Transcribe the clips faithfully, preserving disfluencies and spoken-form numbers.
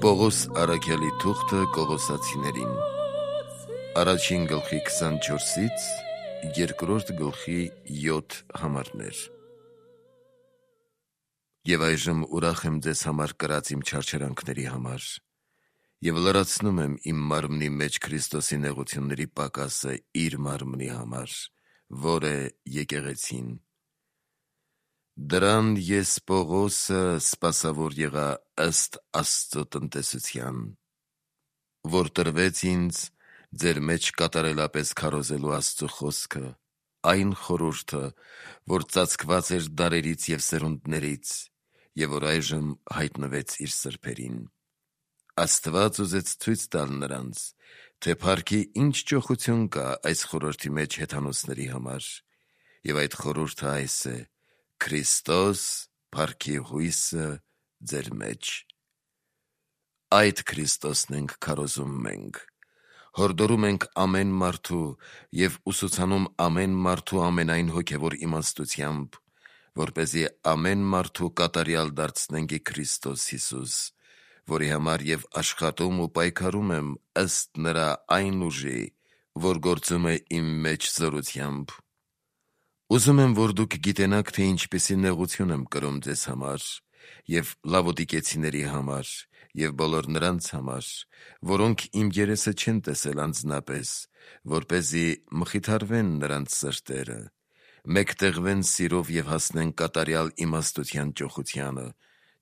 Պողոս առաքյալի թուղթը Կողոսացիներին Առաջին գլխի քսանչորսից երկրորդ գլխի յոթ համարներ։ Եվ այժմ ուրախ եմ ձեզ համար կրած իմ չարչարանքների համար, և լրացնում եմ իմ մարմնի մեջ Քրիստոսի նեղությունների պակասը իր մարմնի համար, որ է եկեղեցին։ Դրան ես Պողոսը սպասավոր եղա ըստ Աստծո տնտեսության, որ տրվեց ինձ ձեր մեջ կատարելապես քարոզելու Աստծո խոսքը, այն խորհուրդը, որ ծածկված էր դարերից և սերունդներից, և որ այժմ հայտնվեց իր սրբերին։ Աստված ուզեց ցույց տալ նրանց, թե փառքի ինչ ճոխություն կա այս խորհրդի մեջ հեթանոսների համար, և այդ խորհուրդը այս է. Քրիստոս փառքի հույսը ձեր մեջ։ Այդ Քրիստոսն ենք քարոզում մենք, հորդորում ենք ամեն մարդու և ուսուցանում ամեն մարդու ամենայն հոգևոր իմաստությամբ, որպեսզի ամեն մարդու կատարյալ դարձնենք ի Քրիստոս Հիսուս, որի համար և աշխատում ու պայքարում եմ ըստ նրա այն ուժի, որ գործում է իմ մեջ զորությամբ։ Ուզում եմ, որ դուք գիտենաք, թե ինչպիսի նեղություն եմ կրում ձեզ համար և լավոդիկեցիների համար և բոլոր նրանց համար, որոնք իմ երեսը չեն տեսել անձնապես, որպեսզի մխիթարվեն նրանց սրտերը, մեկտեղվեն սիրով և հասնեն կատարյալ իմաստության ճոխությանը,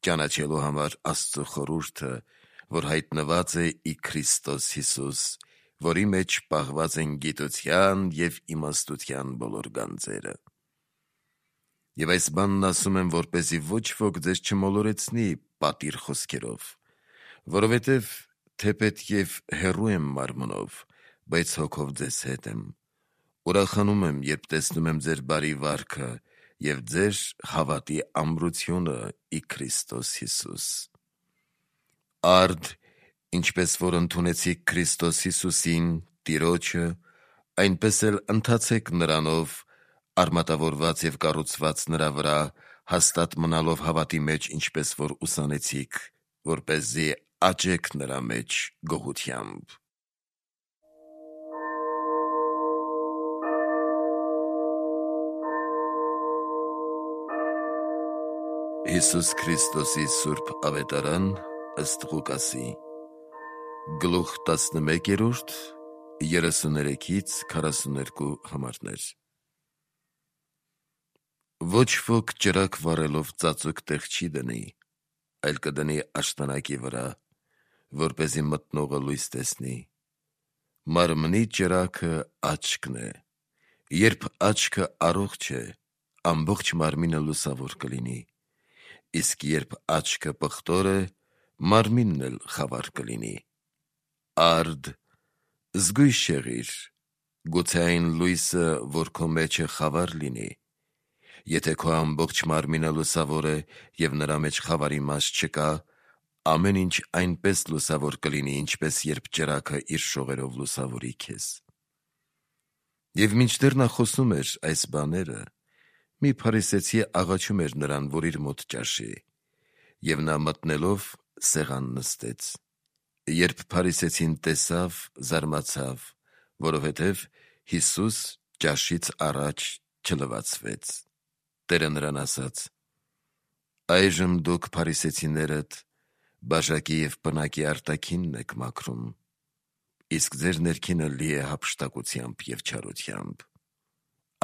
ճանաչելու համար Աստծո խորհուրդը, որ հայտնված է ի Քրիստոս Հիսուս, որի մեջ պահված են գիտության և իմաստության բոլոր գանձերը։ Եվ այս բանն ասում եմ, որպեսզի ոչ ոք ձեզ չմոլորեցնի պատիր խոսքերով, որովհետև թեպետև հեռու եմ մարմնով, բայց հոգով ձեզ հետ եմ, ուրախանում եմ, երբ տեսնում եմ ձեր բարի վարքը և ձեր հավատի ամրությունը ի Քրիստոս Հիսուս։ Արդ, ինչպես որ ընդունեցիք Քրիստոս Հիսուսին, Տիրոջը, այնպես էլ ընթացեք նրանով, արմատավորված և կառուցված նրա վրա, հաստատ մնալով հավատի մեջ, ինչպես որ ուսանեցիք, որպեսզի աճեք նրա մեջ գոհությամբ։ Հիսուս Քրիստոսի սուրբ ավետարան ըստ Ղուկասի գլուխ տասնմեկերորդ երեսուներեքից քառասուներկու համարներ։ Ոչ ոք ճրագ վառելով ծածուկ տեղ չի դնի, այլ կդնի աշտանակի վրա, որպեսզի մտնողը լույս տեսնի։ Մարմնի ճրագը աչքն է, երբ աչքը առողջ է, ամբողջ մարմինը լուսավոր կլինի, իսկ երբ աչքը պղտոր է, մարմինն էլ խավար կլինի։ Արդ, զգույշ եղիր, գուցե այն լույսը, որ քո մեջ է, խավար լինի։ Եթե քո ամբողջ մարմինը լուսավոր է և նրա մեջ խավարի մաս չկա, ամեն ինչ այնպես լուսավոր կլինի, ինչպես երբ ճրագը իր շողերով լուսավորի քեզ։ Եվ մինչդեռ նա խոսում էր այս բաները, մի փարիսեցի աղաչում էր նրան, որ իր մոտ ճաշի, և նա մտնելով սեղան նստեց։ Երբ փարիսեցին տեսավ, զարմացավ, որովհետև Հիսուս ճաշից առաջ չլվացվեց։ Տերը նրան ասաց. այժմ դուք փարիսեցիներդ բաժակի և պնակի արտաքինն եք մաքրում, իսկ ձեր ներքինը լի է հափշտակությամբ և չարությամբ։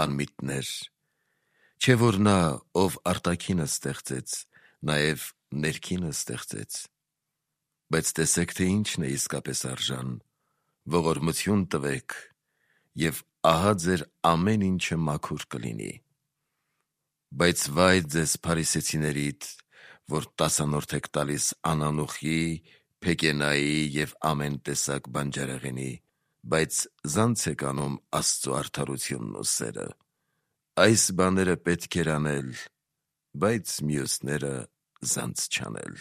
Անմիտներ, չէ՞ որ նա, ով արտաքինը ստեղծեց, նաև ներքինը ստեղծեց։ Բայց տեսեք, թե ինչն է իսկապես արժան, ողորմություն տվեք, և ահա ձեր ամեն ինչը մաքուր կլինի։ Բայց վայ ձեզ փարիսեցիներիդ, որ տասանորդ եք տալիս անանուխի, փեկենայի և ամեն տեսակ բանջարեղենի, բայց զանց եք անում Աստծո արդարությունն ու սերը։ Այս բաները պետք էր անել, բայց մյուսները զանց չանել։